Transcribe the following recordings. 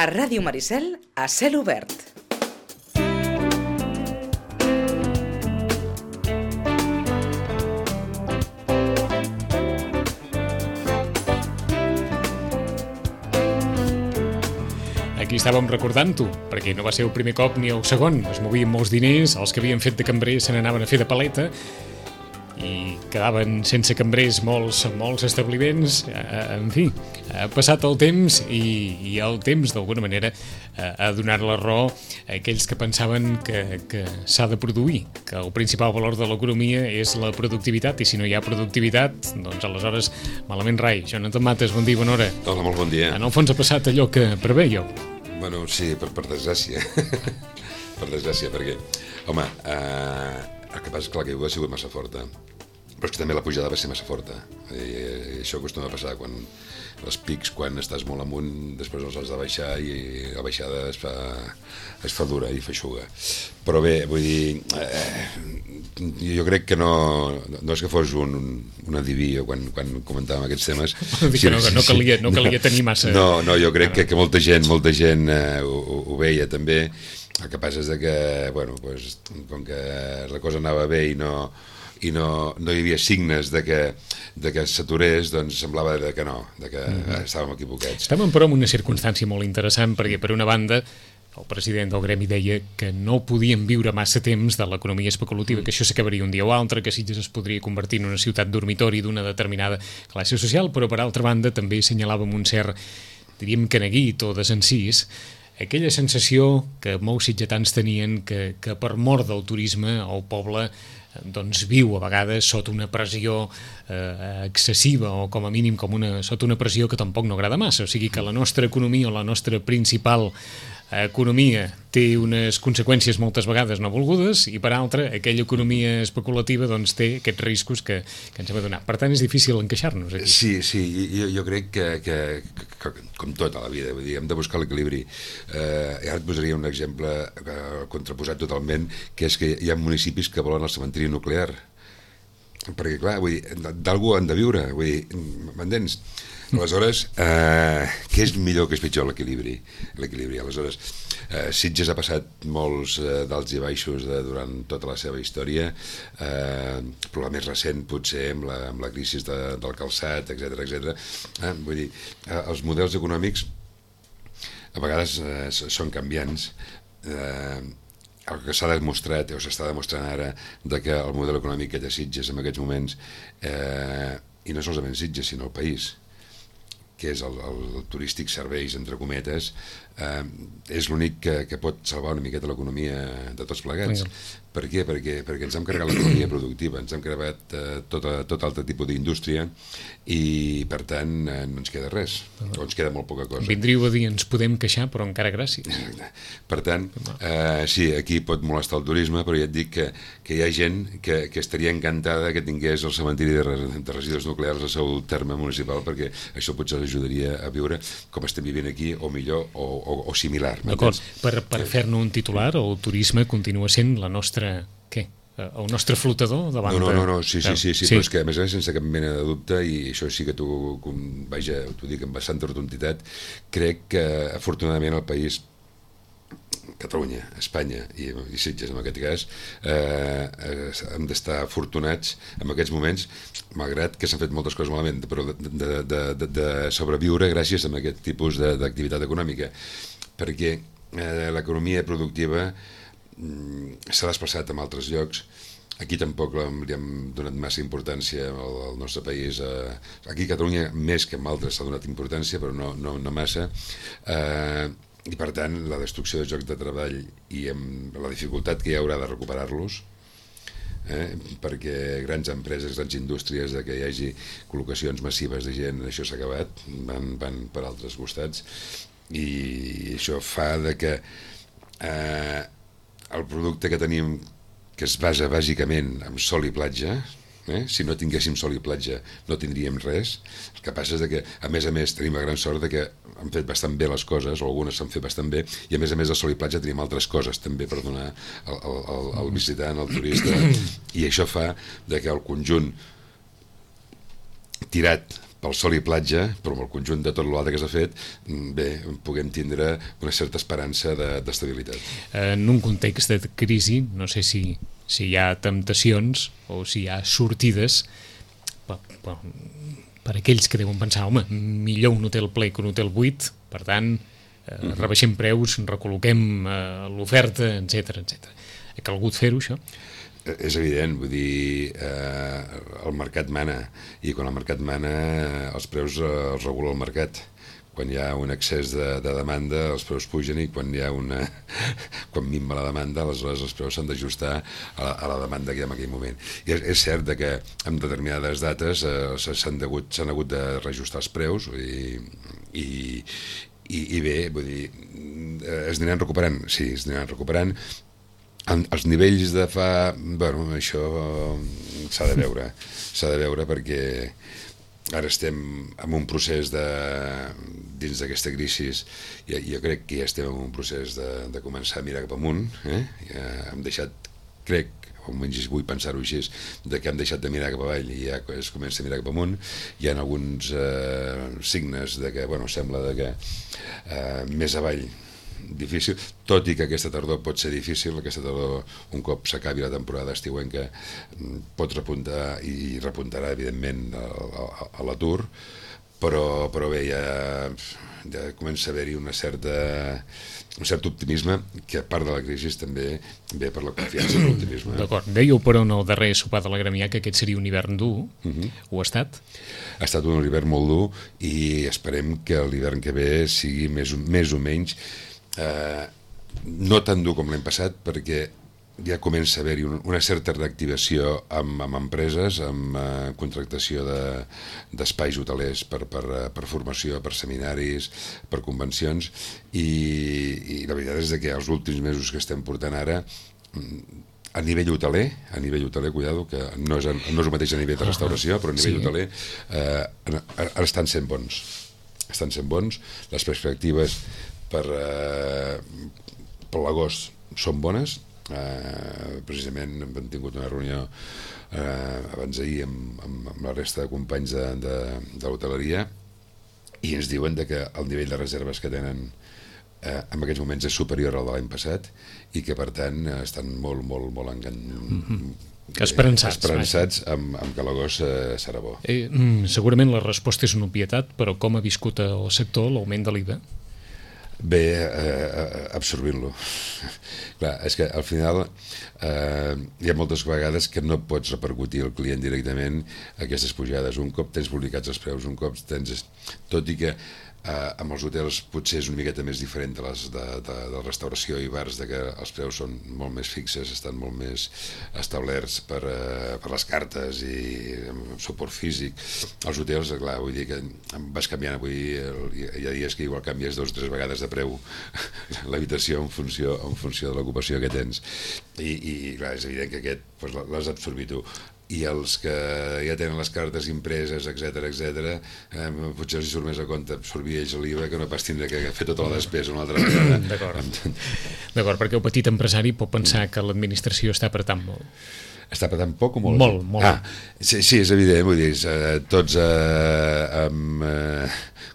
A Ràdio Maricel, a cel obert. Aquí estàvem recordant-ho, perquè no va ser el primer cop ni el segon. Es movien molts diners, els que havien fet de cambrer se n'anaven a fer de paleta i quedaven sense cambrers molts establiments. En fi, ha passat el temps i el temps, d'alguna manera, ha donat la raó a aquells que pensaven que s'ha de produir, que el principal valor de l'economia és la productivitat, i si no hi ha productivitat, doncs aleshores malament rai. Jonathan Mates, bon dia, bona hora. Hola, molt bon dia. En el fons ha passat allò que prevèieu. Bueno, sí, per desgràcia. Per desgràcia, perquè, home, el que passa és que la caiguda ha sigut massa forta, però és que també la pujada va ser massa forta. I això acostuma a passar quan els pics, quan estàs molt amunt, després els has de baixar i la baixada es fa dura i feixuga. Però bé, vull dir, jo crec que no és que fos un adiví quan comentàvem aquests temes. No calia tenir massa... No, jo crec que molta gent ho veia també. El que passa és que, bueno, com que la cosa anava bé i no hi havia signes de que s'aturés, doncs semblava que no, que estàvem equivocats. Estàvem però en una circumstància molt interessant, perquè per una banda el president del gremi deia que no podíem viure massa temps de l'economia especulativa, que això s'acabaria un dia o altre, que Sitges es podria convertir en una ciutat dormitori d'una determinada classe social, però per altra banda també assenyalàvem un cert, diríem que neguit o desencís, aquella sensació que molts sitgetans tenien que per mort del turisme el poble doncs viu a vegades sota una pressió excessiva, o com a mínim sota una pressió que tampoc no agrada massa. O sigui que la nostra economia, o la nostra principal economia, té unes conseqüències moltes vegades no volgudes, i per altra, aquella economia especulativa doncs té aquests riscos que ens hem adonat. Per tant, és difícil encaixar-nos aquí. Sí, jo crec que com tot a la vida, vull dir, hem de buscar l'equilibri. Ara et posaria un exemple contraposat totalment, que és que hi ha municipis que volen el cementiri nuclear. Perquè, clar, vull dir, d'algú han de viure, vull dir, m'entens? Aleshores, què és millor, què és pitjor? L'equilibri. Aleshores, Sitges ha passat molts d'alts i baixos durant tota la seva història, però la més recent potser amb la crisi del calçat, etc. Vull dir, els models econòmics a vegades són canviants. El que s'ha demostrat, o s'està demostrant ara, que el model econòmic que té Sitges en aquests moments, i no solament Sitges, sinó el país, que és el turístic serveis, entre cometes, és l'únic que pot salvar una miqueta l'economia de tots plegats. Per què? Perquè ens hem carregat l'economia productiva, ens hem carregat tot altre tipus d'indústria, i per tant no ens queda res, o ens queda molt poca cosa. Vindríeu a dir, ens podem queixar, però encara gràcies. Per tant, sí, aquí pot molestar el turisme, però ja et dic que hi ha gent que estaria encantada que tingués el cementiri de residus nuclears al seu terme municipal, perquè això potser ajudaria a viure com estem vivint aquí, o millor, o similar. D'acord, per fer-ne un titular, el turisme continua sent la nostra... Què? El nostre flotador davant de... No, sí, però és que a més a més, sense cap mena de dubte, i això sí que t'ho dic amb bastanta rotunditat, crec que afortunadament el país, Catalunya, Espanya i Sitges en aquest cas, hem d'estar afortunats en aquests moments, malgrat que s'han fet moltes coses malament, però de sobreviure gràcies a aquest tipus d'activitat econòmica, perquè l'economia productiva s'ha desplaçat a altres llocs. Aquí tampoc li hem donat massa importància al nostre país. Aquí a Catalunya més que en altres s'ha donat importància, però no massa, i per tant la destrucció de llocs de treball i amb la dificultat que hi haurà de recuperar-los, perquè grans empreses, grans indústries, que hi hagi col·locacions massives de gent, això s'ha acabat, van per altres costats, i això fa que el producte que tenim, que es basa bàsicament en sol i platja, si no tinguéssim sol i platja no tindríem res. El que passa és que a més tenim la gran sort que han fet bastant bé les coses, o algunes s'han fet bastant bé, i a més de sol i platja tenim altres coses també per donar al visitant, al turista, i això fa que el conjunt tirat pel sol i platja, però amb el conjunt de tot l'altre que s'ha fet, bé, puguem tindre una certa esperança d'estabilitat. En un context de crisi, no sé si hi ha temptacions o si hi ha sortides per aquells que deuen pensar, home, millor un hotel ple que un hotel buit, per tant, rebaixem preus, recol·loquem l'oferta, etc. Ha calgut fer-ho, això? És evident, vull dir, el mercat mana, i quan el mercat mana els preus els regula el mercat. Quan hi ha un excés de demanda els preus pugen, i quan quan minva la demanda aleshores els preus s'han d'ajustar a la demanda que hi ha en aquell moment. I és cert que en determinades dates s'han hagut de reajustar els preus, i bé, vull dir, es aniran recuperant, sí, es aniran recuperant. Els nivells de fa... Bueno, això s'ha de veure perquè ara estem en un procés dins d'aquesta crisi, jo crec que ja estem en un procés de començar a mirar cap amunt, hem deixat, crec, o almenys vull pensar-ho així, que hem deixat de mirar cap avall i ja es comença a mirar cap amunt. Hi ha alguns signes de que, bueno, sembla que més avall difícil, tot i que aquesta tardor pot ser difícil. Aquesta tardor, un cop s'acabi la temporada estiuenca, pot repuntar i repuntarà evidentment a l'atur, però bé, ja comença a haver-hi un cert optimisme, que a part de la crisi també ve per la confiança i l'optimisme. D'acord, dèieu però en el darrer sopar de la Gremià que aquest seria un hivern dur, ho ha estat? Ha estat un hivern molt dur i esperem que l'hivern que ve sigui més o menys no tan dur com l'any passat, perquè ja comença a haver-hi una certa reactivació amb empreses, amb contractació d'espais hotelers per formació, per seminaris, per convencions, i la veritat és que els últims mesos que estem portant ara, a nivell hoteler, cuidado, que no és el mateix a nivell de restauració, però a nivell hoteler estan sent bons. Les perspectives per l'agost són bones. Precisament hem tingut una reunió abans d'ahir amb la resta de companys de l'hoteleria, i ens diuen que el nivell de reserves que tenen en aquests moments és superior al de l'any passat, i que per tant estan molt esperançats amb que l'agost serà bo. Segurament la resposta és una obvietat, però com ha viscut el sector l'augment de l'IVA? Bé, absorbint-lo. Clar, és que al final hi ha moltes vegades que no pots repercutir al client directament aquestes pujades. Un cop tens publicats els preus, un cop tens... Tot i que amb els hotels potser és una miqueta més diferent de restauració i bars, que els preus són molt més fixes, estan molt més establerts per les cartes i amb suport físic. Els hotels, clar, vull dir que vas canviant, hi ha dies que igual canvies 2 o 3 vegades de preu l'habitació en funció de l'ocupació que tens, i clar, és evident que aquest l'has absorbit tu. I els que ja tenen les cartes impreses, etc., potser els surt més a compte absorbir ells l'IVA que no pas tindre que fer tota la despesa una altra vegada. D'acord, perquè el petit empresari pot pensar que l'administració està apretant molt. Està apretant poc o molt? Molt. Sí, és evident, vull dir, tots amb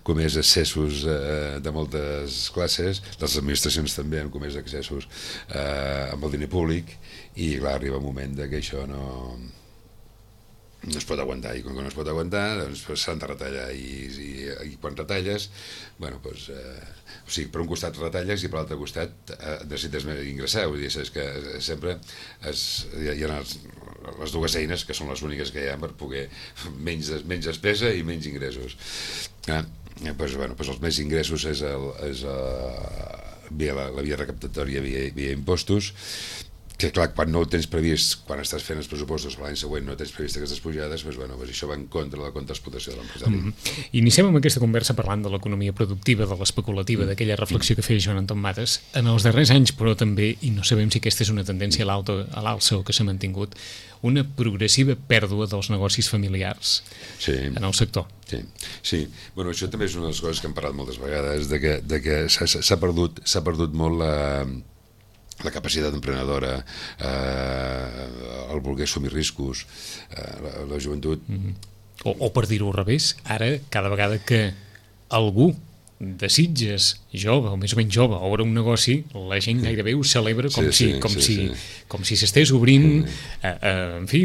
comès excessos de moltes classes, les administracions també han comès excessos amb el diner públic, i clar, arriba un moment que això no es pot aguantar, i com que no es pot aguantar doncs s'han de retallar, i quan retalles, bueno, doncs o sigui, per un costat retalles i per l'altre costat necessites ingressar, vull dir, és que sempre hi ha les dues eines que són les úniques que hi ha per poder menys despesa i menys ingressos. Doncs els més ingressos és via la via recaptatòria, via impostos, que clar, quan no ho tens previst, quan estàs fent els pressupostos per l'any següent no tens previst aquestes pujades, doncs això va en contra de la contraexplotació de l'empresari. Iniciem amb aquesta conversa parlant de l'economia productiva, de l'especulativa, d'aquella reflexió que feia Joan Anton Matas. En els darrers anys, però també, i no sabem si aquesta és una tendència a l'alça o que s'ha mantingut, una progressiva pèrdua dels negocis familiars en el sector. Sí. Bueno, això també és una de les coses que hem parlat moltes vegades, de que s'ha perdut molt la capacitat emprenedora, el voler assumir riscos. La joventut O per dir-ho al revés, ara, cada vegada que algú de Sitges, jove o més o menys jove, obre un negoci, la gent gairebé ho celebra com si s'estés obrint, en fi,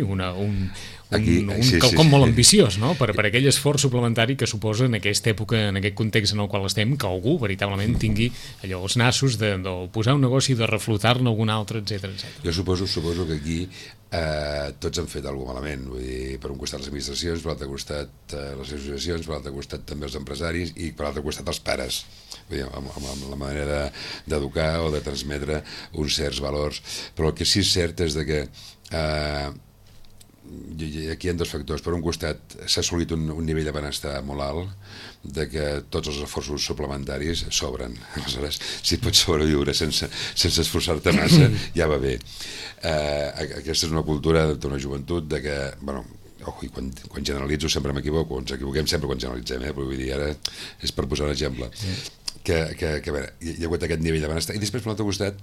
quelcom molt ambiciós, no? Per aquell esforç suplementari que suposa en aquesta època, en aquest context en el qual estem, que algú veritablement tingui allò, els nassos de posar un negoci, de reflotar-ne algun altre, etc. Jo suposo que aquí tots han fet alguna cosa malament, vull dir, per un costat les administracions, per l'altre costat les associacions, per l'altre costat també els empresaris i per l'altre costat els pares, vull dir, amb la manera d'educar o de transmetre uns certs valors. Però el que sí és cert és que aquí hi ha dos factors. Per un costat s'ha assolit un nivell de benestar molt alt, de que tots els esforços suplementaris sobren. Aleshores, si pots sobreviure sense esforçar-te massa, ja va bé. Aquesta és una cultura d'una joventut de que, bueno, i quan generalitzo sempre m'equivoco, ens equivoquem sempre quan generalitzem, però vull dir, ara és per posar un exemple, que a veure, hi ha hagut aquest nivell de benestar, i després per l'altre costat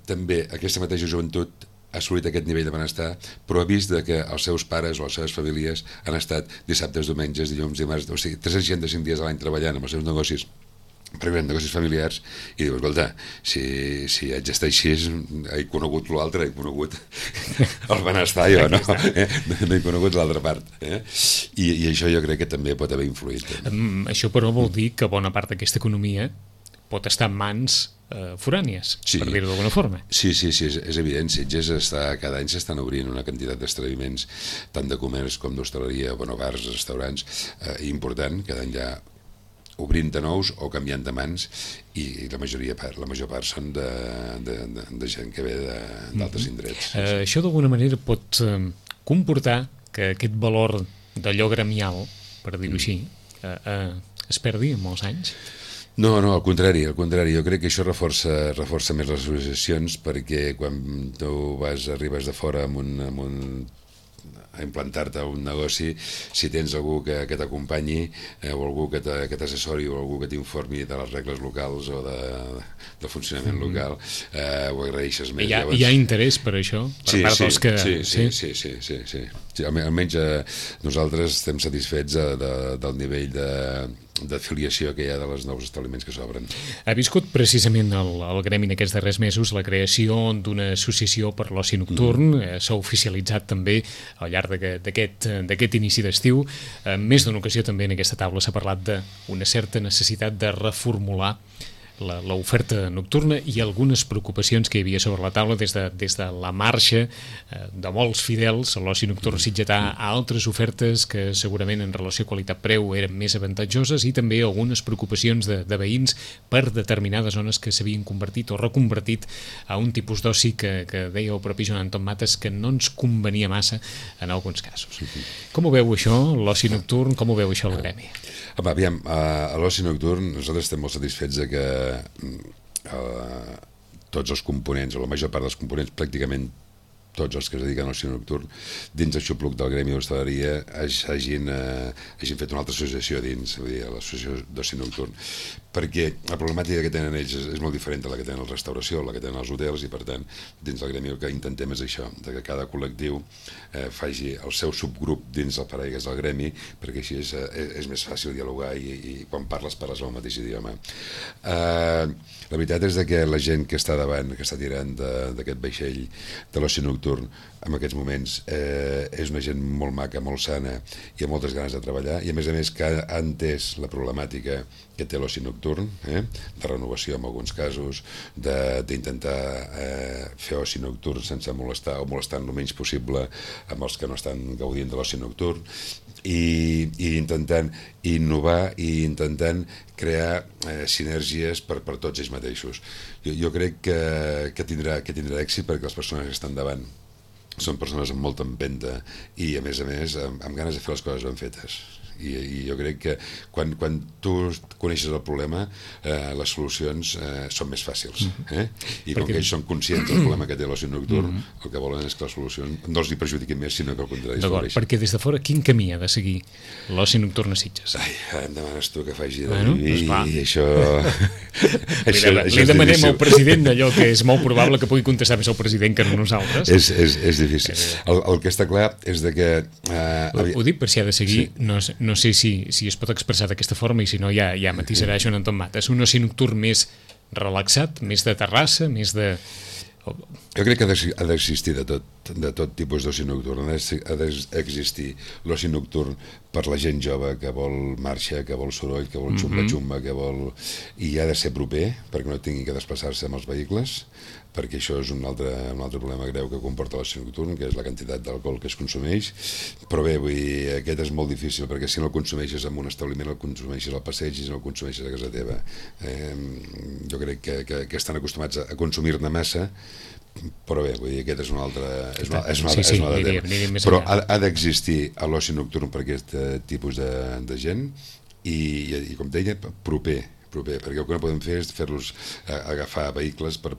també aquesta mateixa joventut ha assolit aquest nivell de benestar, però ha vist que els seus pares o les seves famílies han estat dissabtes, diumenges, dilluns, dimarts, o sigui, 365 dies a l'any treballant amb els seus negocis, primer negocis familiars, i dius, escolta, si haig d'estar així, he conegut l'altre, he conegut el benestar, jo, no? No he conegut l'altra part. I això jo crec que també pot haver influït. Això, però, vol dir que bona part d'aquesta economia pot estar en mans forànies, per dir-ho d'alguna forma. Sí, és evident. Sitges cada any s'estan obrint una quantitat d'establiments, tant de comerç com d'hostaleria, bars, restaurants, important, cada any ja obrint de nous o canviant de mans, i la major part són de gent que ve d'altres indrets. Això d'alguna manera pot comportar que aquest valor d'allò gremial, per dir-ho així, es perdi en molts anys? No, al contrari, jo crec que això reforça més les associacions, perquè quan tu arribes de fora a implantar-te a un negoci, si tens algú que t'acompanyi o algú que t'assessori o algú que t'informi de les regles locals o del funcionament local, ho agraeixes més. Hi ha interès per això? Per part dels que... Sí, almenys nosaltres estem satisfets del nivell d'afiliació que hi ha de els nous establiments que s'obren. Ha viscut precisament el gremi en aquests darrers mesos la creació d'una associació per l'oci nocturn, s'ha oficialitzat també al llarg d'aquest inici d'estiu. En més d'una ocasió també en aquesta taula s'ha parlat d'una certa necessitat de reformular l'oferta nocturna i algunes preocupacions que hi havia sobre la taula des de la marxa de molts fidels a l'oci nocturn sitgetà a altres ofertes que segurament en relació qualitat-preu eren més avantatjoses, i també algunes preocupacions de veïns per determinades zones que s'havien convertit o reconvertit a un tipus d'oci que deia el propi Joan Anton Mates que no ens convenia massa en alguns casos. Com ho veu això, l'oci nocturn? Com ho veu això el gremi? Aviam, a l'oci nocturn nosaltres estem molt satisfets de que tots els components, o la major part dels components, pràcticament tots els que es dediquen a l'oci nocturn dins el xupluc del gremi d'hostaleria hagin fet una altra associació dins, vull dir, l'associació d'oci nocturn, perquè la problemàtica que tenen ells és molt diferent de la que tenen la restauració, la que tenen els hotels, i per tant dins del gremi el que intentem és això, que cada col·lectiu faci el seu subgrup dins el paraigües del gremi, perquè així és més fàcil dialogar i quan parles el mateix idioma. La veritat és que la gent que està davant, que està tirant d'aquest vaixell de l'oci nocturn en aquests moments és una gent molt maca, molt sana i amb moltes ganes de treballar, i a més que ha entès la problemàtica que té l'oci nocturn, de renovació en alguns casos, d'intentar fer oci nocturn sense molestar o molestant el menys possible amb els que no estan gaudint de l'oci nocturn, i intentant innovar i intentant crear sinergies per tots ells mateixos. Jo crec que tindrà èxit, perquè les persones que estan davant són persones amb molta empenta i a més amb ganes de fer les coses ben fetes, i jo crec que quan tu coneixes el problema les solucions són més fàcils, i com que ells són conscients del problema que té l'oci nocturn, el que volen és que les solucions no els hi perjudiquin més, sinó que al contrari. D'acord, perquè des de fora quin camí ha de seguir l'oci nocturn a Sitges? Em demanes tu que faci i això li demanem al president allò que és molt probable que pugui contestar més el president que no nosaltres. És sí. El que està clar és de que... Ho dic per si ha de seguir, sí. No sé si es pot expressar d'aquesta forma i si no ja matisarà Joan Anton Matas. Un oci nocturn més relaxat, més de terrassa, més de... Jo crec que ha d'existir de tot tipus d'oci nocturn. Ha d'existir l'oci nocturn per la gent jove que vol marxa, que vol soroll, que vol xumba-xumba, que vol... I ha de ser proper, perquè no tingui que desplaçar-se amb els vehicles, perquè això és un altre problema greu que comporta l'oci nocturn, que és la quantitat d'alcohol que es consumeix. Però bé, vull dir, aquest és molt difícil, perquè si no el consumeixes en un establiment, el consumeixes al passeig i si no el consumeixes a casa teva. Jo crec que estan acostumats a consumir-ne massa, però bé, vull dir, aquest és un altre tema. Però ha d'existir l'oci nocturn per aquest tipus de gent i com deia, proper, perquè el que no podem fer és fer-los agafar vehicles per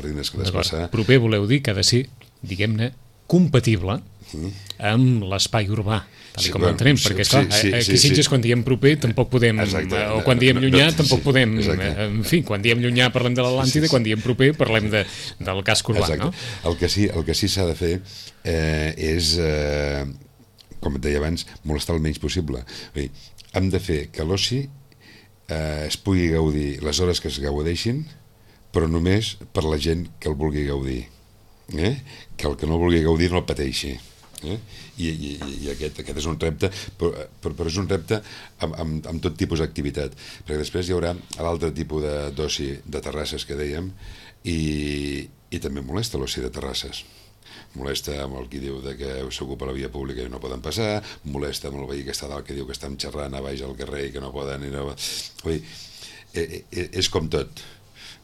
diners que desplaçar. Proper voleu dir que ha de ser, diguem-ne, compatible amb l'espai urbà, tal com l'entenem, perquè esclar, aquí a Sitges quan diem proper tampoc podem, o quan diem llunyà tampoc podem, en fi, quan diem llunyà parlem de l'Atlàntida, quan diem proper parlem del casc urbà, no? El que sí s'ha de fer és, com et deia abans, molestar el menys possible. Hem de fer que l'oci es pugui gaudir les hores que es gaudeixin, però només per la gent que el vulgui gaudir, que el que no el vulgui gaudir no el pateixi. I aquest és un repte, però és un repte amb tot tipus d'activitat, perquè després hi haurà l'altre tipus d'oci de terrasses que dèiem, i també molesta l'oci de terrasses. Molesta amb el que diu que s'ocupa la via pública i no poden passar, molesta amb el veí que està dalt que diu que estan xerrant a baix al carrer i que no poden... Vull dir, és com tot.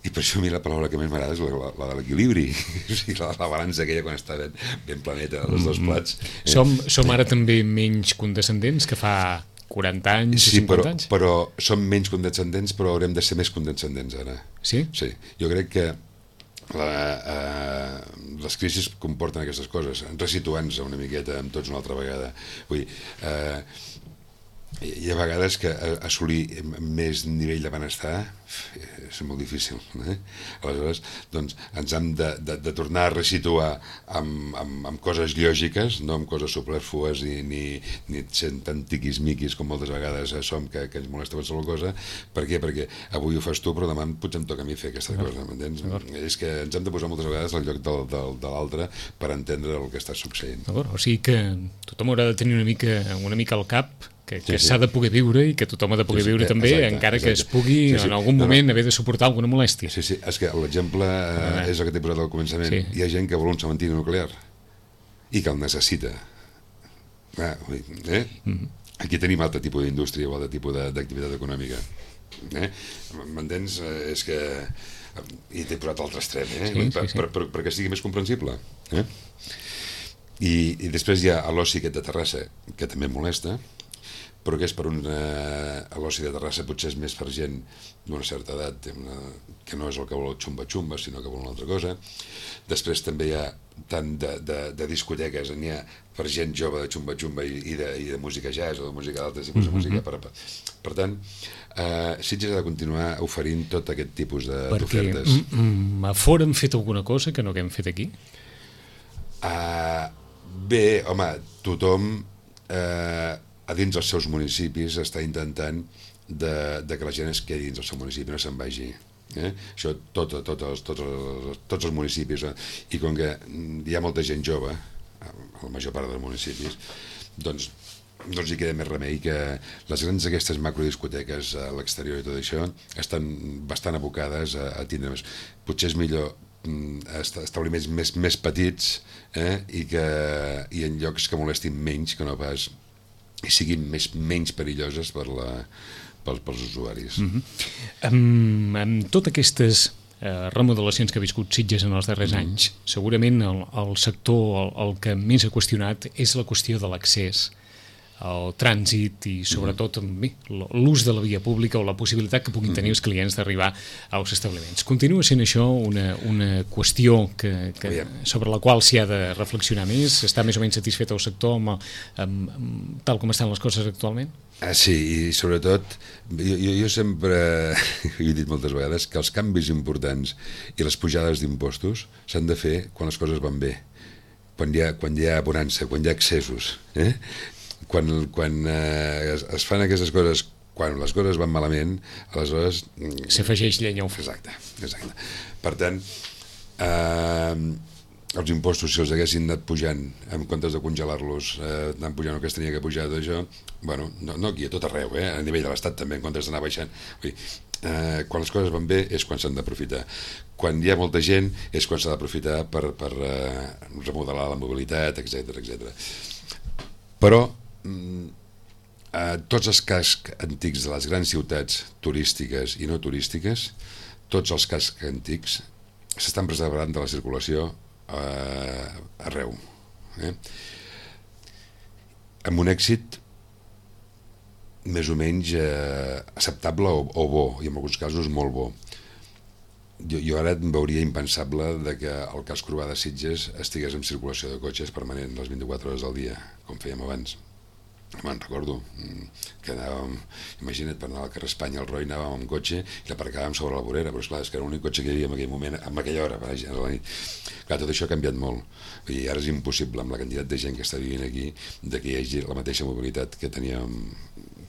I per això a mi la paraula que més m'agrada és la de l'equilibri, o sigui, la balança aquella quan està ben planeta els dos plats. Som ara també menys condescendents que fa 40 anys o 50 anys? Sí, però som menys condescendents, però haurem de ser més condescendents ara. Sí? Sí, jo crec que les crisis comporten aquestes coses, resituant-nos una miqueta amb tots una altra vegada. Vull dir, hi ha vegades que assolir més nivell de benestar és molt difícil. Aleshores, doncs, ens hem de tornar a resituar amb coses lògiques, no amb coses superflues ni sent tan tiquis-miquis com moltes vegades som que ens molesta qualsevol cosa. Per què? Perquè avui ho fas tu, però demà potser em toca a mi fer aquesta cosa, m'entens? És que ens hem de posar moltes vegades al lloc de l'altre per entendre el que està succeint. O sigui que tothom haurà de tenir una mica al cap que s'ha de poder viure i que tothom ha de poder viure també, encara que es pugui en algun moment haver de suportar alguna molèstia. Sí, és que l'exemple és el que t'he posat al començament. Hi ha gent que vol un cementiri nuclear i que el necessita. Aquí tenim altre tipus d'indústria o altre tipus d'activitat econòmica. M'entens? És que... I t'he posat l'altre extrem, perquè sigui més comprensible. I després hi ha l'oci aquest de terrassa, que també molesta, però que és per l'oci de terrassa potser és més per gent d'una certa edat que no és el que vol xumba-xumba, sinó que vol una altra cosa. Després també hi ha tant de discoteques, n'hi ha per gent jove de xumba-xumba i de música jazz o de música d'altres tipus de música. Per tant, Sitges ha de continuar oferint tot aquest tipus d'ofertes. Perquè a fora hem fet alguna cosa que no haguem fet aquí? Bé, home, tothom a dins dels seus municipis està intentant que la gent es quedi dins del seu municipi, no se'n vagi. Això tots els municipis, i com que hi ha molta gent jove a la major part dels municipis, doncs no els hi queda més remei que les grans aquestes macrodiscoteques a l'exterior i tot això estan bastant abocades a tindre més. Potser és millor establiments més petits i en llocs que molestin menys que no pas i siguin menys perilloses pels usuaris. Amb totes aquestes remodelacions que ha viscut Sitges en els darrers anys, segurament el sector el que més ha qüestionat és la qüestió de l'accés el trànsit i sobretot l'ús de la via pública o la possibilitat que puguin tenir els clients d'arribar als establiments. Continua sent això una qüestió sobre la qual s'hi ha de reflexionar més? Està més o menys satisfet el sector tal com estan les coses actualment? Sí, i sobretot jo sempre he dit moltes vegades que els canvis importants i les pujades d'impostos s'han de fer quan les coses van bé quan hi ha bonança, quan hi ha excessos, quan es fan aquestes coses, quan les coses van malament, aleshores... S'afegeix llenya al foc. Exacte. Per tant, els impostos, si els haguessin anat pujant, en comptes de congelar-los, anant pujant el que es tenia que pujar d'això, bueno, no aquí, a tot arreu, a nivell de l'Estat també, en comptes d'anar baixant. Vull dir, quan les coses van bé és quan s'han d'aprofitar. Quan hi ha molta gent és quan s'ha d'aprofitar per remodelar la mobilitat, etc. Però tots els cascs antics de les grans ciutats turístiques i no turístiques, tots els cascs antics s'estan preservant de la circulació arreu, amb un èxit més o menys acceptable o bo, i en alguns casos molt bo. Jo ara em veuria impensable que el casc urbà de Sitges estigués en circulació de cotxes permanent les 24 hores al dia, com fèiem abans. Me'n recordo que anàvem, imagina't, per anar al carrer Espanya al Roi, anàvem amb cotxe i l'aparcàvem sobre la vorera, però esclar, és que era l'únic cotxe que hi havia en aquell moment, en aquella hora, a la nit. Clar, tot això ha canviat molt, i ara és impossible, amb la quantitat de gent que està vivint aquí, que hi hagi la mateixa mobilitat que teníem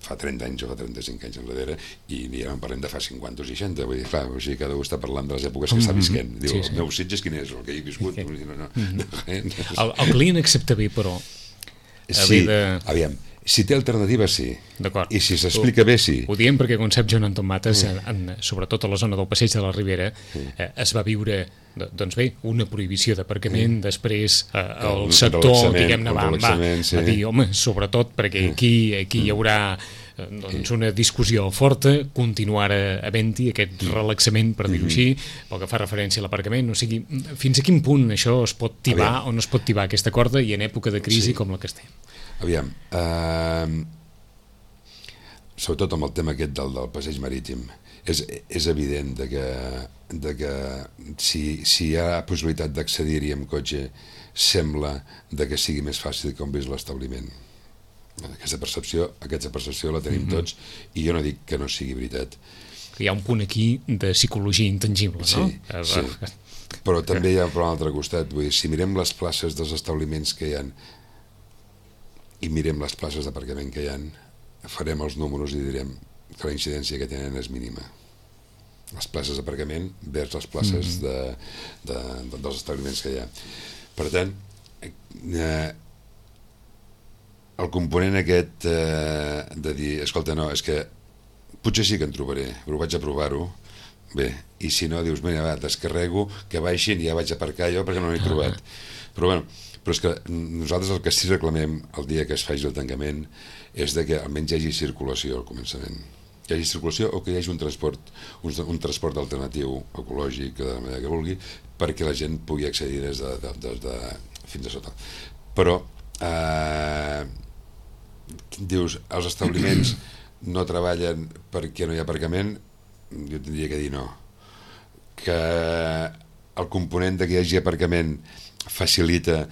fa 30 anys o fa 35 anys enrere, i ja no parlem de fa 50 o 60, vull dir, clar, o sigui, cada un està parlant de les èpoques que està visquent. Diu, el meu Sitges quin és, el que he viscut? El client accepta bé, però... Sí, aviam, si té alternativa, sí. I si s'explica bé, sí. Ho diem perquè, com sap Joan Anton Mates, sobretot a la zona del Passeig de la Ribera, es va viure, doncs bé, una prohibició d'aparcament, després el sector, diguem-ne, va dir, home, sobretot perquè aquí hi haurà una discussió forta, continuar havent-hi aquest relaxament, per dir-ho així, pel que fa referència a l'aparcament, o sigui, fins a quin punt això es pot tibar o no es pot tibar aquesta corda, i en època de crisi com la que estem? Aviam, sobretot amb el tema aquest del passeig marítim, és evident que si hi ha possibilitat d'accedir-hi amb cotxe, sembla que sigui més fàcil com vés l'establiment. Aquesta percepció la tenim tots, i jo no dic que no sigui veritat. Hi ha un punt aquí de psicologia intangible, no? Sí, però també hi ha per l'altre costat, vull dir, si mirem les places dels establiments que hi ha i mirem les places d'aparcament que hi ha, farem els números i direm que la incidència que tenen és mínima. Les places d'aparcament vers les places dels establiments que hi ha. Per tant, el component aquest de dir, escolta, no, és que potser sí que en trobaré, però vaig a provar-ho, bé, i si no, dius, mira, va, descarrego, que baixin i ja vaig a aparcar jo perquè no l'he trobat. Però bueno, però és que nosaltres el que sí reclamem el dia que es faci el tancament és que almenys hi hagi circulació al començament. Que hi hagi circulació o que hi hagi un transport alternatiu ecològic, de la manera que vulgui, perquè la gent pugui accedir des de fins a sota. Però dius, els establiments no treballen perquè no hi ha aparcament, jo tindria que dir no. Que el component de que hi hagi aparcament facilita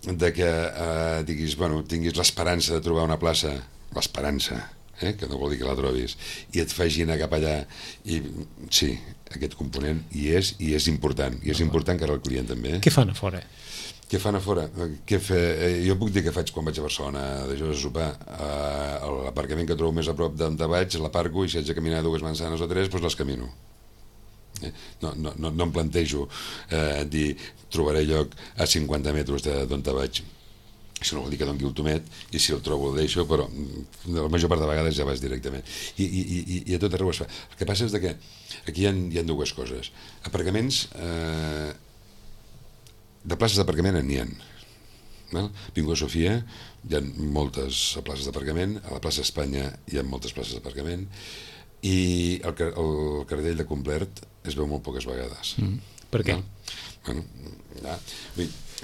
de que diguis, bueno, tinguis l'esperança de trobar una plaça, l'esperança, que no vol dir que la trobis, i et faci anar cap allà, i sí, aquest component hi és important, i és important que ara el client també. Què fan a fora? Què fan a fora? Jo puc dir que faig quan vaig a Barcelona de jove a sopar. L'aparcament que trobo més a prop d'on vaig, l'aparco, i si haig de caminar 2 manzanes o 3, doncs les camino. No em plantejo dir trobaré lloc a 50 metres d'on vaig. Això no vol dir que doni el tomet, i si el trobo el deixo, però la major part de vegades ja vas directament. I a tot arreu es fa. El que passa és que aquí hi ha dues coses. Aparcaments, de places d'aparcament n'hi ha. Vingut a Sofia hi ha moltes places d'aparcament, a la plaça Espanya hi ha moltes places d'aparcament, i el cartell de Complert es veu molt poques vegades. Per què?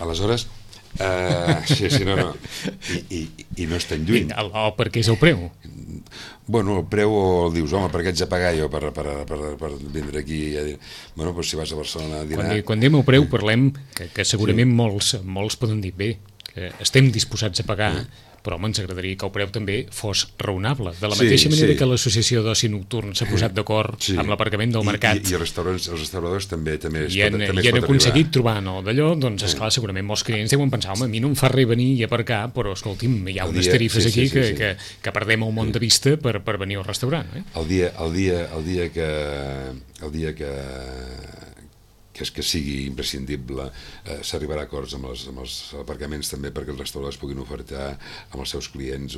Aleshores, no. I no és tan lluny. Per què és el preu? Bueno, el preu el dius, home, per què haig de pagar jo per vindre aquí? Bueno, però si vas a Barcelona a dinar... Quan diem el preu parlem que segurament molts poden dir, bé, que estem disposats a pagar, però home, ens agradaria que el preu també fos raonable. De la mateixa manera que l'Associació d'Oci Nocturn s'ha posat d'acord amb l'aparcament del mercat. I els restauradors també I han aconseguit trobar d'allò, doncs esclar, segurament molts clients deuen pensar, home, a mi no em fa res venir i aparcar, però escolti'm, hi ha unes tarifes aquí que perdem el món de vista per venir al restaurant. El dia que sigui imprescindible, s'arribarà a acords amb els aparcaments també perquè els restauradors puguin ofertar amb els seus clients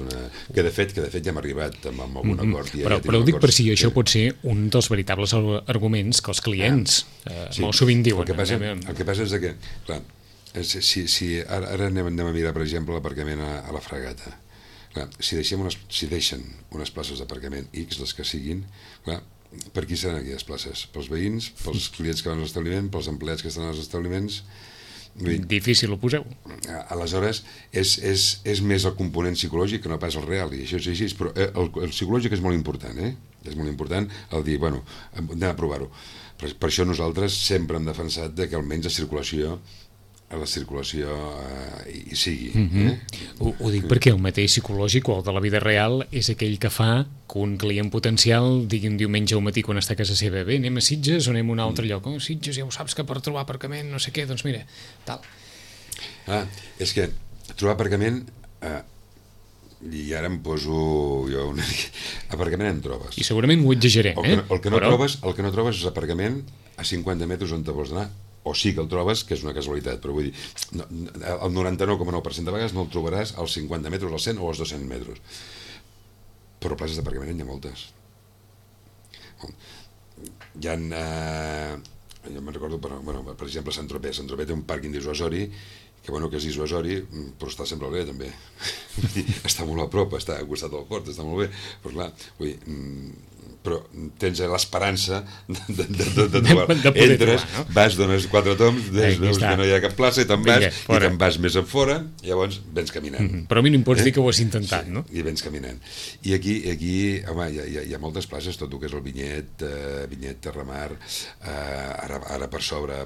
que de fet ja hem arribat amb algun acord. Però ho dic per si això pot ser un dels veritables arguments que els clients molt sovint diuen. El que passa és que, clar, ara anem a mirar, per exemple, l'aparcament a la Fragata. Clar, si deixen unes places d'aparcament X, les que siguin, clar, per qui seran aquelles places? Pels veïns, pels clients que van a l'establiment, pels empleats que estan als establiments? Difícil ho poseu. Aleshores, és més el component psicològic que no pas el real, i això és així, però el psicològic és molt important, és molt important el dir, bueno, anem a provar-ho. Per això nosaltres sempre hem defensat que almenys la circulació hi sigui. Ho dic perquè el mateix psicològic o el de la vida real és aquell que fa que un client potencial digui un diumenge al matí quan està a casa seva, bé, anem a Sitges o anem a un altre lloc? Sitges, ja ho saps que per trobar aparcament no sé què, doncs mira, tal. És que trobar aparcament, i ara em poso jo aparcament en trobes. I segurament ho exagerem, el que no trobes és aparcament a 50 metres on te vols anar, o sí que el trobes, que és una casualitat, però vull dir, el 99,9% de vegades no el trobaràs als 50 metres, als 100 o als 200 metres. Però places d'aparcament n'hi ha moltes. Hi ha... Jo me'n recordo, per exemple, Sant Tropez. Sant Tropez té un pàrquing dissuasori, que és dissuasori, però està sempre bé, també. Està molt a prop, està al costat del port, està molt bé, però clar, vull dir... però tens l'esperança de trobar. Entres, vas, dones 4 toms, veus que no hi ha cap plaça i te'n vas més enfora, llavors vens caminant. Però a mi no em pots dir que ho has intentat, no? I vens caminant. I aquí home, hi ha moltes places, tot el que és el Vinyet, Terramar, ara per sobre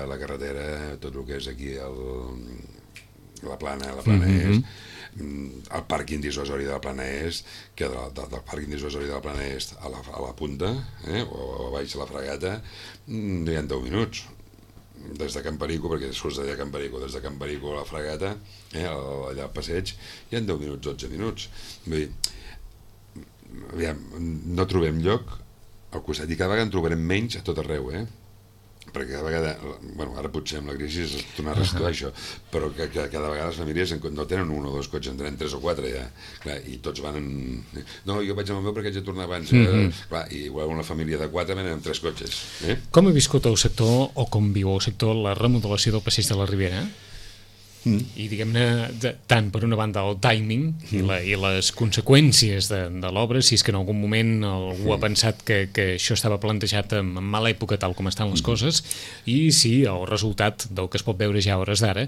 la carretera, tot el que és aquí la Plana Est, el pàrquing dissuasori de la Plana Est, que del pàrquing dissuasori de la Plana Est a la punta, o a baix a la Fragata, no hi ha 10 minuts. Des de Can Perico, perquè surts d'allà a Can Perico, des de Can Perico a la Fragata, allà al passeig, hi ha 10 minuts, 12 minuts. Vull dir, aviam, no trobem lloc al costat, i cada vegada en trobarem menys a tot arreu, perquè cada vegada, ara potser amb la crisi es torna a restituir això, però que cada vegada les famílies no tenen 1 o 2 cotxes, en tenen 3 o 4 ja, clar, i tots van no, jo vaig amb el meu perquè haig de tornar abans, clar, i igual una família de 4 venen amb 3 cotxes. Com ha viscut el sector, o com viu el sector, la remodelació del passeig de la Ribera? I diguem-ne, tant per una banda el timing i les conseqüències de l'obra, si és que en algun moment algú ha pensat que això estava plantejat en mala època tal com estan les coses, i si el resultat del que es pot veure ja a hores d'ara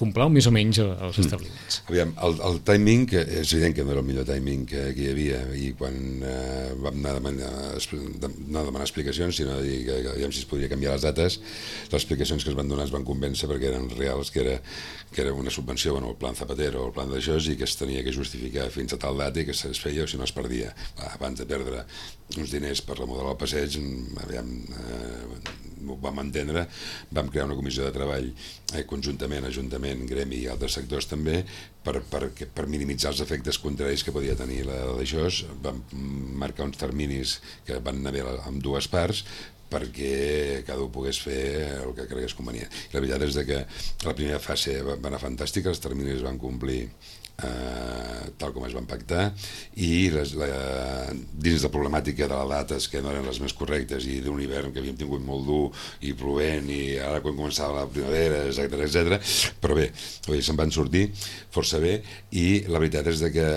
complau més o menys els establiments. Aviam, el timing, és evident que no era el millor timing que hi havia, i quan vam anar a demanar explicacions, sinó a dir que aviam si es podria canviar les dates, les explicacions que es van donar es van convèncer perquè eren reals, que era una subvenció, el plan Zapatero o el plan d'això, i que es tenia que justificar fins a tal data i que es feia o si no es perdia. Abans de perdre uns diners per remodelar el passeig, ho vam entendre, vam crear una comissió de treball conjuntament, Ajuntament, Gremi i altres sectors també, per minimitzar els efectes contraris que podia tenir d'això. Vam marcar uns terminis que van anar bé amb dues parts, perquè cada un pogués fer el que cregués convenient. La veritat és que la primera fase va anar fantàstica, els terminis van complir tal com es van pactar, i dins de problemàtica de les dates que no eren les més correctes i d'un hivern que havíem tingut molt dur i plovent, i ara quan començava la primavera, etc. Però bé, se'n van sortir força bé, i la veritat és que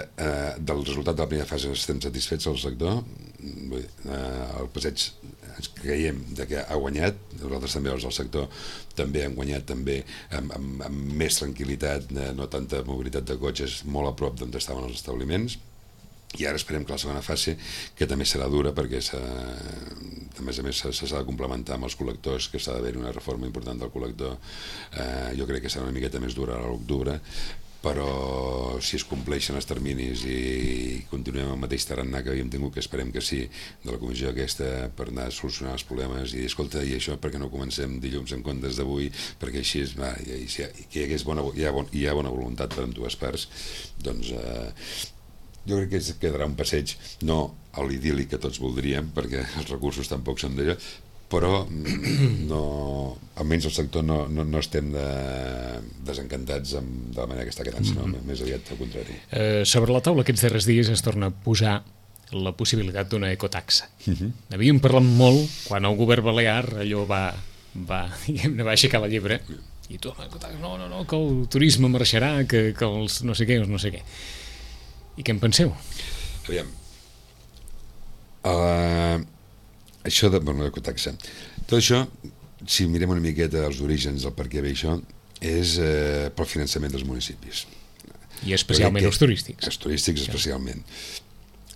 del resultat de la primera fase estem satisfets al sector. El passeig ens creiem que ha guanyat, nosaltres també els del sector també hem guanyat també amb més tranquil·litat, no tanta mobilitat de cotxes, molt a prop d'on estaven els establiments, i ara esperem que la segona fase, que també serà dura perquè a més s'ha de complementar amb els col·lectors, que s'ha d'haver una reforma important del col·lector, jo crec que serà una miqueta més dura a l'octubre, però si es compleixen els terminis i continuem el mateix tarannà que havíem tingut, que esperem que sí, de la comissió aquesta per anar a solucionar els problemes i escolta, i això perquè no comencem dilluns en comptes d'avui, perquè així que hi hagués hi ha bona voluntat per dues parts, doncs jo crec que quedarà un passeig, no a l'idíl·lic que tots voldríem, perquè els recursos tampoc són d'allò, però no, almenys el sector no estem desencantats de la manera que està quedant, sinó més aviat al contrari. Sobre la taula aquests darrers dies es torna a posar la possibilitat d'una ecotaxa. Havíem parlat molt quan el govern balear allò va aixecar la llebre i tu, no, que el turisme marxarà, que els no sé què, els no sé què. I què en penseu? Aviam, això de l'ecotaxa, tot això, si mirem una miqueta els orígens del per què ve això, és pel finançament dels municipis. I especialment els turístics. Els turístics especialment.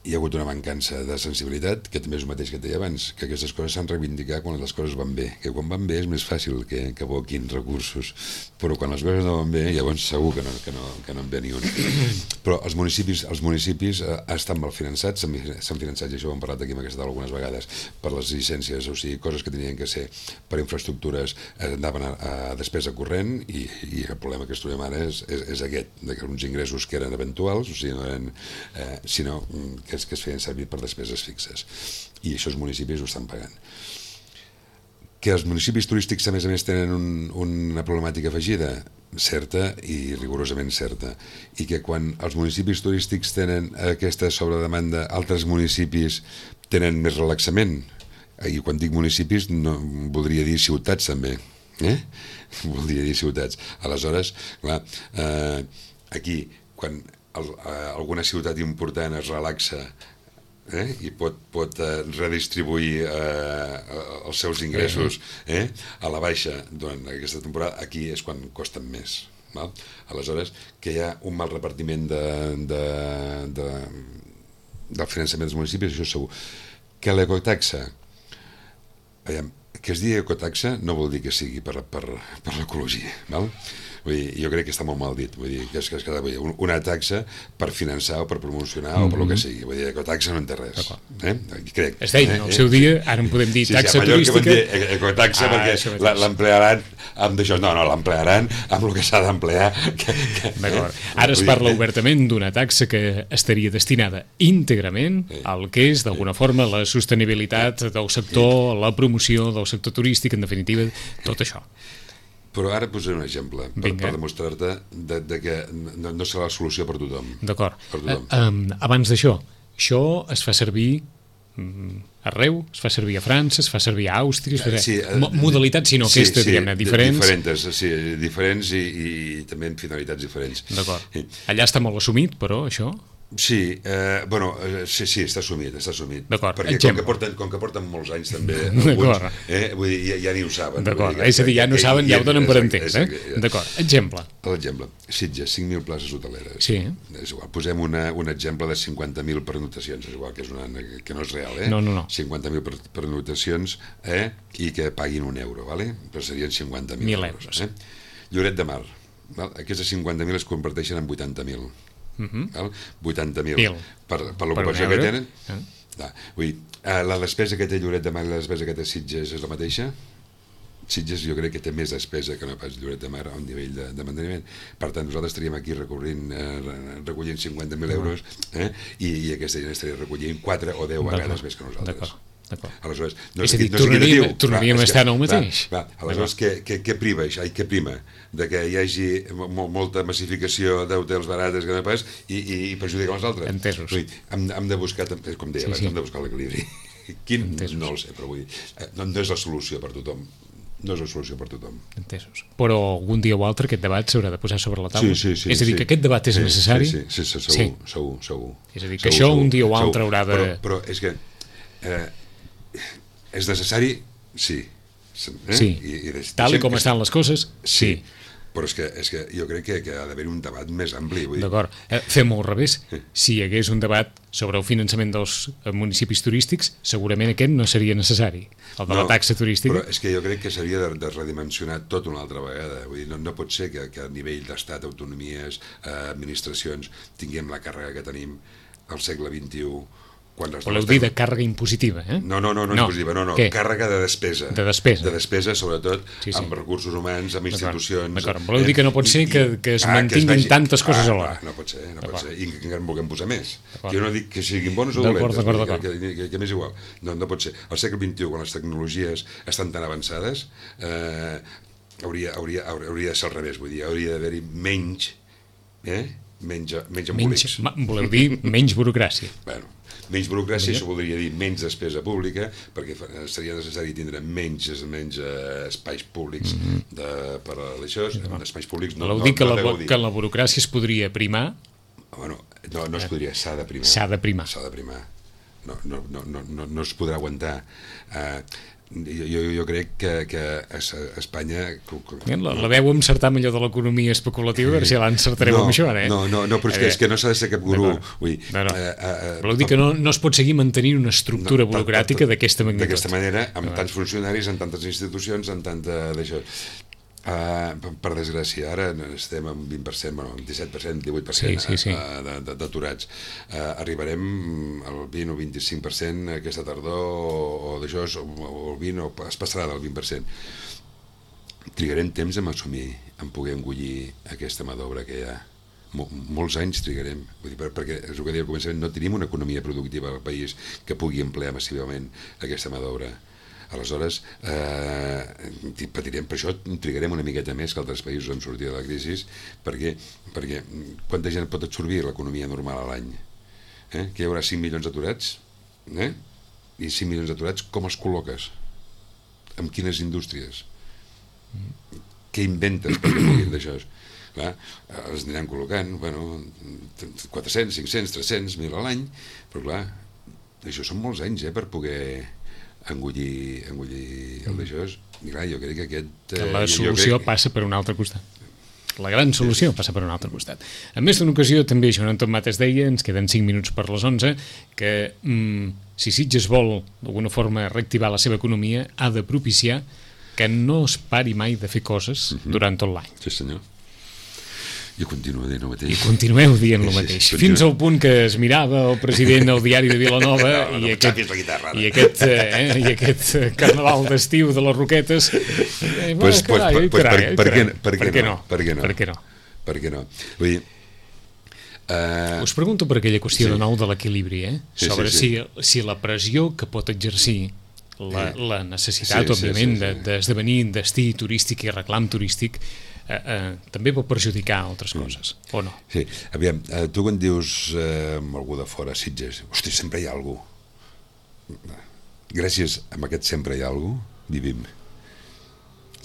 Hi ha hagut una mancança de sensibilitat, que també és el mateix que et deia abans, que aquestes coses s'han reivindicat quan les coses van bé, que quan van bé és més fàcil que aboquin recursos, però quan les coses no van bé, llavors segur que no en ve ni un. Però els municipis estan mal finançats, s'han finançat, i això ho hem parlat aquí en aquesta taula algunes vegades, per les llicències, o sigui, coses que tenien que ser per infraestructures anaven a despesa corrent, i el problema que es trobem ara és aquest, que uns ingressos que eren eventuals, o sigui, no eren, sinó que es feien servir per despeses fixes, i això els municipis ho estan pagant. Que els municipis turístics a més tenen una problemàtica afegida, certa i rigorosament certa, i que quan els municipis turístics tenen aquesta sobredemanda, altres municipis tenen més relaxament, i quan dic municipis no, voldria dir ciutats també, voldria dir ciutats. Aleshores, clar, aquí quan alguna ciutat important es relaxa i pot redistribuir els seus ingressos a la baixa durant aquesta temporada, aquí és quan costen més. Aleshores, que hi ha un mal repartiment del finançament dels municipis, això segur. Que l'ecotaxa, que es digui ecotaxa no vol dir que sigui per l'ecologia, val? Vull dir, jo crec que està molt mal dit, vull dir, que és una taxa per finançar o per promocionar o per el que sigui, vull dir, ecotaxa no en té res, crec. Es deia en el seu dia, ara en podem dir taxa turística. Sí, a Mallorca ecotaxa perquè l'emplearan amb d'això, no, l'emplearan amb el que s'ha d'emplear. D'acord, ara es parla obertament d'una taxa que estaria destinada íntegrament al que és, d'alguna forma, la sostenibilitat del sector, la promoció del sector turístic, en definitiva, tot això. Però ara posaré un exemple per demostrar-te que no serà la solució per tothom. D'acord. Abans d'això, això es fa servir arreu, es fa servir a França, es fa servir a Àustria, modalitats, sinó aquesta, diguem-ne, diferents. Diferents i també amb finalitats diferents. D'acord. Allà està molt assumit, però, això? Sí, sí, està assumit. D'acord, perquè com que porten molts anys també alguns, vull dir, ja ni ho saben. D'acord, és a dir, ja no saben, ja ho donen per entès, D'acord, exemple. L'exemple, Sitges, 5.000 places hoteleres. Sí. És igual, posem un exemple de 50.000 pernotacions, és igual, que no és real, No. 50.000 pernotacions i que paguin €1, vale? Però serien 50.000 euros. Lloret de Mar, aquestes 50.000 es converteixen en 80.000. 80.000 per l'ocupació que tenen. Vull dir, la despesa que té Lloret de Mar i la despesa que té Sitges és la mateixa? Sitges jo crec que té més despesa que no pas Lloret de Mar a un nivell de manteniment. Per tant, nosaltres estaríem aquí recollint 50.000 euros i aquesta gent estaria recollint 4 o 10 vegades més que nosaltres. Aleshores, és a dir, tornaríem a estar en el mateix. Aleshores, què prima? De que hi hagi molta massificació d'hotels barates que no pas i perjudica els altres. Entesos. Hem de buscar, com deia abans, hem de buscar l'equilibri. Quin? No el sé, però vull dir, no és la solució per tothom. No és la solució per tothom. Entesos. Però algun dia o altre aquest debat s'haurà de posar sobre la taula? Sí. És a dir, que aquest debat és necessari? Sí, segur. És a dir, que això un dia o altre haurà de... Però és que és necessari, sí. Tal com estan les coses, sí. Però és que jo crec que ha d'haver un debat més ampli. D'acord. Fem-ho al revés. Si hi hagués un debat sobre el finançament dels municipis turístics, segurament aquest no seria necessari, el de la taxa turística. Però és que jo crec que s'havia de redimensionar tot una altra vegada. Vull dir, no pot ser que a nivell d'estat, autonomies, administracions, tinguem la càrrega que tenim al segle XXI. Voleu dir de càrrega impositiva, eh? No, impositiva, no. Què? Càrrega de despesa. De despesa. De despesa, sobretot, amb recursos humans, amb institucions... D'acord. Voleu dir que no pot ser que es mantinguin tantes coses alhora. No pot ser. I que encara en vulguem posar més. Jo no dic que siguin bones o dolentes, que m'és igual. No pot ser. Al segle XXI, quan les tecnologies estan tan avançades, hauria de ser al revés, vull dir, hauria d'haver-hi menys embolics. Voleu dir menys burocràcia. Bueno, menys burocràcia, això voldria dir menys despesa pública, perquè seria necessari tindre menys espais públics per a això, espais públics voleu dir que la burocràcia es podria primar? Bueno, no es podria, s'ha de primar. S'ha de primar. No es podrà aguantar. Jo crec que a Espanya... La veu encertar amb allò de l'economia especulativa, a veure si l'encertareu amb això, eh? No, però és que no s'ha de ser cap gurú. Voleu dir que no es pot seguir mantenint una estructura burocràtica d'aquesta magnitud. D'aquesta manera, amb tants funcionaris, amb tantes institucions, amb tanta d'això. Per desgràcia, ara estem amb 20%, bueno, amb 17%, 18% d'aturats. Arribarem al 20 o 25% aquesta tardor, o d'això, o el 20, o es passarà del 20%. Trigarem temps en assumir, en poder engollir aquesta mà d'obra que hi ha. Molts anys trigarem, vull dir, perquè és el que deia al començament, no tenim una economia productiva al país que pugui emplear massivament aquesta mà d'obra. Aleshores, patirem, per això trigarem una miqueta més que altres països en sortir de la crisi, perquè quanta gent pot absorbir l'economia normal a l'any? Que hi haurà 5 milions d'aturats? I 5 milions d'aturats com els col·loques? Amb quines indústries? Què inventes perquè puguin d'això? Clar, els aniran col·locant, 400, 500, 300, 1.000 a l'any, però clar, això són molts anys per poder engollir el d'això. I clar, jo crec que aquest... La solució passa per un altre costat. La gran solució passa per un altre costat. En més d'una ocasió, també Joan Anton Mates deia, ens queden 5 minuts per les 11, que si Sitges vol d'alguna forma reactivar la seva economia, ha de propiciar que no es pari mai de fer coses durant tot l'any. Sí, senyor. Jo continuo dient el mateix. I continueu dient el mateix. Fins al punt que es mirava el president al diari de Vilanova i aquest carnaval d'estiu de les Roquetes. Per què no? Vull dir... Us pregunto per aquella qüestió de nou de l'equilibri, sobre si la pressió que pot exercir la necessitat, òbviament, d'esdevenir destí turístic i reclam turístic també pot perjudicar altres coses, o no? Sí, aviam, tu quan dius amb algú de fora, Sitges, hosti, sempre hi ha algú. Gràcies a aquest sempre hi ha algú, vivim.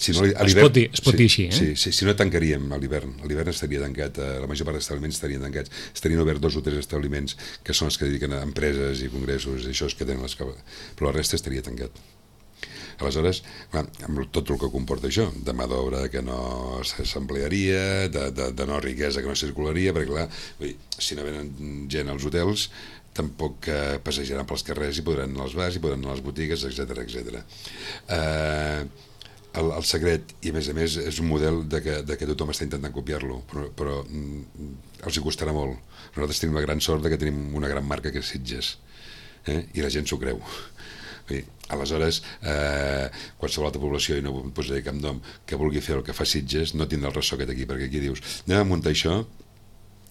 Es pot dir així, Sí, si no tancaríem a l'hivern. A l'hivern estaria tancat, la major part d'establiments estarien tancats. Estarien oberts 2 o 3 establiments que són els que dediquen a empreses i congressos i això és que tenen però la resta estaria tancat. Aleshores, amb tot el que comporta això, de mà d'obra que no s'emplearia, de no riquesa que no circularia, perquè clar, si no venen gent als hotels, tampoc passejaran pels carrers i podran anar als bars i podran anar a les botigues, etc. El secret, i a més és un model de que tothom està intentant copiar-lo, però els hi costarà molt. Nosaltres tenim la gran sort de que tenim una gran marca que és Sitges, i la gent s'ho creu. Aleshores, qualsevol altra població, i no posaré cap nom, que vulgui fer el que fa Sitges no tindrà el ressò que té aquí, perquè aquí dius anem a muntar això,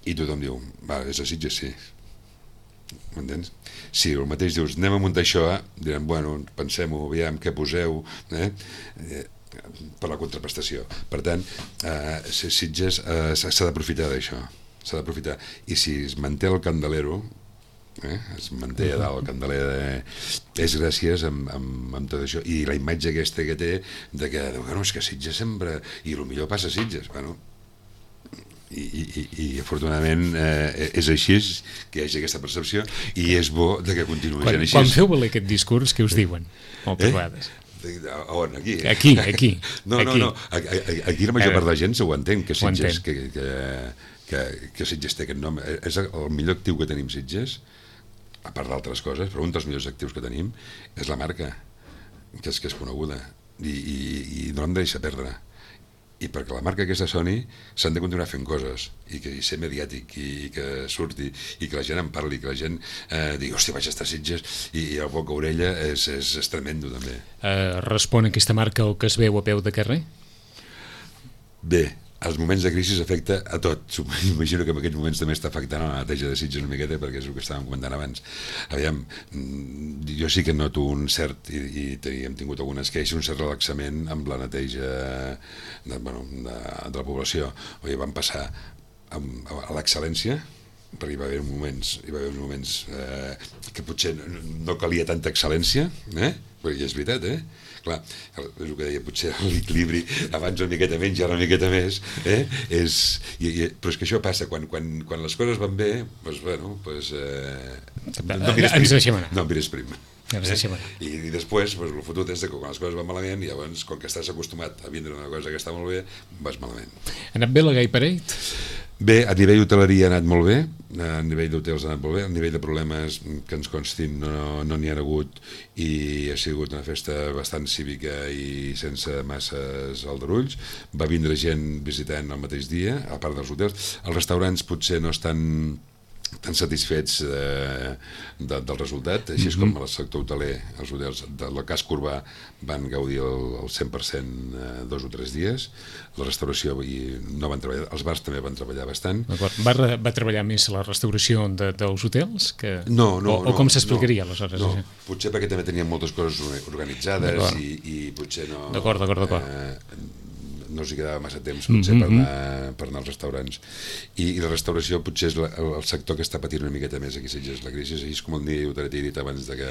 i tothom diu és a Sitges, sí. M'entens? Si el mateix dius anem a muntar això, diran, bueno, pensem-ho, aviam què poseu, per la contraprestació. Per tant, Sitges s'ha d'aprofitar d'això, s'ha d'aprofitar, i si es manté el candelero, es manté a dalt el candeler, és gràcies amb tot això, i la imatge aquesta que té de que, no, és que Sitges sempre, i el millor passa a Sitges, bueno, i afortunadament és així, que hi hagi aquesta percepció, i és bo de que continuï sent així. Quan feu valer aquest discurs, què us diuen moltes vegades? On? Aquí? Aquí. No, aquí la major part de la gent s'ho entén, que Sitges, entén. que Sitges té aquest nom. És el millor actiu que tenim Sitges, a part d'altres coses, però un dels millors actius que tenim és la marca, que és coneguda, i no l'hem de deixar perdre. I perquè la marca aquesta soni s'han de continuar fent coses i ser mediàtic i que surti i que la gent en parli, que la gent digui, hòstia, vaig estar a Sitges, i el boca a orella és tremendo també. Respon aquesta marca el que es veu a peu de carrer? Bé, els moments de crisi afecta a tot. Imagino que en aquests moments també està afectant a la neteja de Sitges una miqueta, perquè és el que estàvem comentant abans. Aviam, jo sí que noto un cert, i hem tingut algunes queixes, un cert relaxament amb la neteja de la població. Vam passar a l'excel·lència, perquè hi va haver moments que potser no calia tanta excel·lència, perquè és veritat, clar, és el que deia, potser l'equilibri abans una miqueta menys i ara una miqueta més, però és que això passa quan les coses van bé, doncs bueno, no mires prim. I després el fotut és que quan les coses van malament, llavors quan que estàs acostumat a vindre una cosa que està molt bé, vas malament. Ha anat bé la Gay Parade? Bé, a nivell d'hoteleria ha anat molt bé, a nivell d'hotels ha anat molt bé, a nivell de problemes que ens constin no n'hi ha hagut, i ha sigut una festa bastant cívica i sense masses aldarulls. Va vindre gent visitant el mateix dia, a part dels hotels. Els restaurants potser no estan tan satisfets del resultat, així és com el sector hoteler, els hotels del casc urbà van gaudir el 100% 2 o 3 dies, la restauració no van treballar, els bars també van treballar bastant. Va treballar més la restauració dels hotels? No. O com s'explicaria aleshores? No, potser perquè també tenien moltes coses organitzades i potser no... D'acord. No s'hi quedava massa temps potser per anar als restaurants, i la restauració potser és el sector que està patint una miqueta més aquí a Sitges la crisi, és com el nivell t'he dit abans de que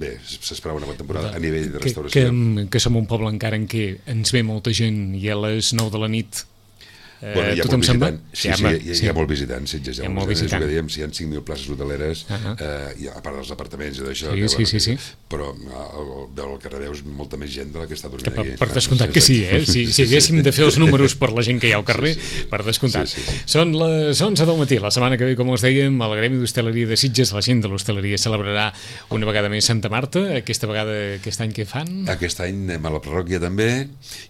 bé, s'esperava una bona temporada a nivell de restauració. Que som un poble encara en què ens ve molta gent i a les 9 de la nit tothom se'n va? Sí, hi ha molt visitant, Sitges, hi ha molt visitant. Si hi ha 5.000 places hoteleres, a part dels apartaments i d'això, però el carrer veus molta més gent de la que està dormint aquí. Per descomptat que sí, si haguéssim de fer els números per la gent que hi ha al carrer, per descomptat. Són les 11 del matí, la setmana que ve, com us dèiem, el Gremi d'Hostaleria de Sitges, la gent de l'hostaleria celebrarà una vegada més Santa Marta, aquesta vegada, aquest any què fan? Aquest any anem a la parròquia també,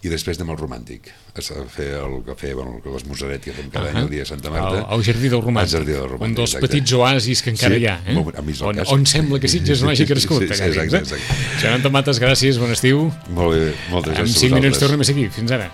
i després anem al Romàntic, a fer el cafè, l'esmorzeret que fem cada any el dia de Santa Marta. Al Jardí del Romàntic. Un dels petits oasis que encara hi ha, on sembla que Sitges no hagi crescut. Exacte. Joan Tomates, gràcies, bon estiu. Molt bé, moltes gràcies. En 5 minuts tornem a seguir. Fins ara.